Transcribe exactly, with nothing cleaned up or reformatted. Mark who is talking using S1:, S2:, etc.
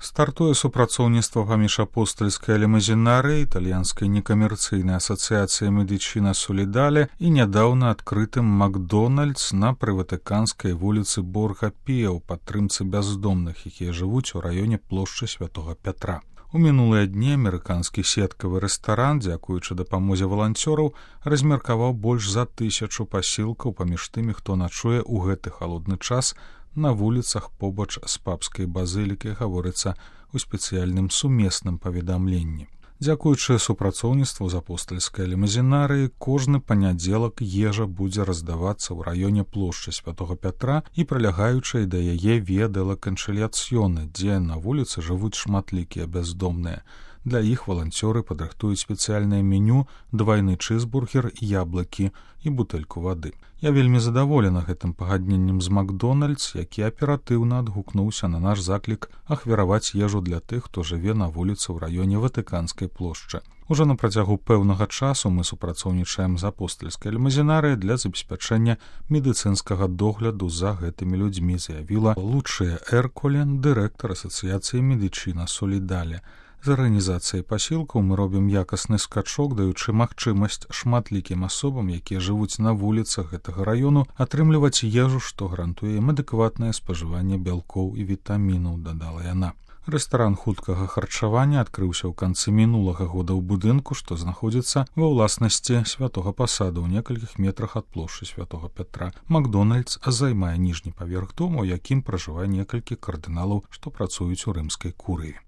S1: Стартуе супрацоўніцтва паміж апостальскай лімузінарыяй, італьянскай некамерцыйнай асацыяцыяй Медычына Солідаля і нядаўна адкрытым Макдональдс на прыватыканскай вуліцы Борга Піа ў падтрымцы бяздомных, якія жывуць у раёне плошчы Святога Пятра. У мінулыя дні амерыканскі сеткавы рэстаран, дзякуючы дапамозе валанцёраў, размеркаваў больш за тысячу пасілкаў паміж тымі, хто начуе ў гэты халодны час на вуліцах побач з папскай базылікай, гаворыцца ў спецыяльным сумесным паведамленні. Дзякуючы супрацоўніцтву з апостальскай лімузінарыяй, кожны панядзелак ежа будзе раздавацца ў раёне плошчы Святога Пятра і прылягаючай да яе віа дела канчыльяцыёне, дзе на вуліцы жывуць шматлікія бяздомныя. Для іх валанцёры падрыхтуюць спецыяльнае меню, двайны чызбургер, яблыкі і бутэльку вады. Я вельмі задаволена гэтым пагадненнем з Макдональдс, які аператыўна адгукнуўся на наш заклік ахвяраваць ежу для тых, хто жыве на вуліцы ў раёне Ватыканскай плошчы. Ужо на працягу пэўнага часу мы супрацоўнічаем з апостальскай лімузінарыяй для забеспячэння медыцынскага догляду за гэтымі людзьмі, заявіла Лучыя Эрколен, дырэктар асацыяцыі Медычына Солідаля. З арганізацыяй пасілкаў мы робім якасны скачок, даючы магчымасць шматлікім асобам, якія жывуць на вуліцах гэтага раёну, атрымліваць ежу, што гарантуе ім адэкватнае спажыванне бялкоў і вітамінаў, дадала яна. Рэстаран хуткага харчавання адкрыўся ў канцы мінулага года ў будынку, што знаходзіцца ва ўласнасці Святога Пасада ў некалькіх метрах ад плошчы Святога Пятра. Макдональдс займае ніжні паверх дома, у якім пражывае некалькі кардыналаў, што працуюць у рымскай курыі.